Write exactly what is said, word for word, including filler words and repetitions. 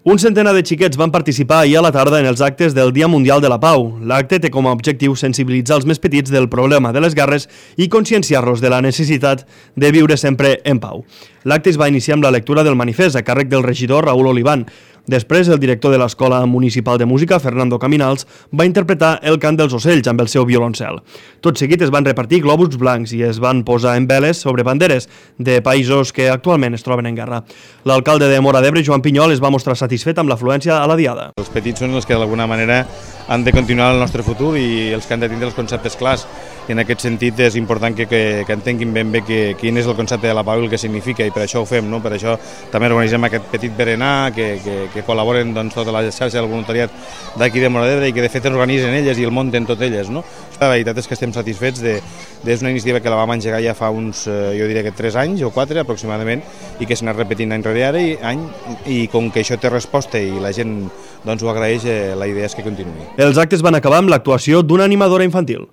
Un centenar de xiquets van participar ahir a la tarda en els actes del Dia Mundial de la Pau. L'acte té com a objectiu sensibilitzar els més petits del problema de les guerres i conscienciar-los de la necessitat de viure sempre en pau. L'acte es va iniciar amb la lectura del manifest a càrrec del regidor Raül Olivan. Després, el director de l'Escola Municipal de Música, Fernando Caminals, va interpretar el cant dels ocells amb el seu violoncel. Tot seguit es van repartir globus blancs i es van posar en veles sobre banderes de països que actualment es troben en guerra. L'alcalde de Móra d'Ebre, Joan Pinyol, es va mostrar satisfet amb l'afluència a la diada. Els petits són els que d'alguna manera han de continuar el nostre futur i els que han de tindre els conceptes clars. I en aquest sentit és important que, que, que entenguin ben bé que, quin és el concepte de la pau i el que significa, i per això ho fem, no? Per això també organitzem aquest petit berenar, que, que, que col·laboren doncs, tota la xarxa del voluntariat d'aquí de Móra d'Ebre i que de fet organitzen elles i el munten tot elles. No? La veritat és que estem satisfets de, de és una iniciativa que la vam engegar ja fa uns, jo diria que tres anys o quatre aproximadament, i que s'ha anat repetint any rere any, any, i com que això té resposta i la gent doncs, ho agraeix, la idea és que continuï. Els actes van acabar amb l'actuació d'una animadora infantil.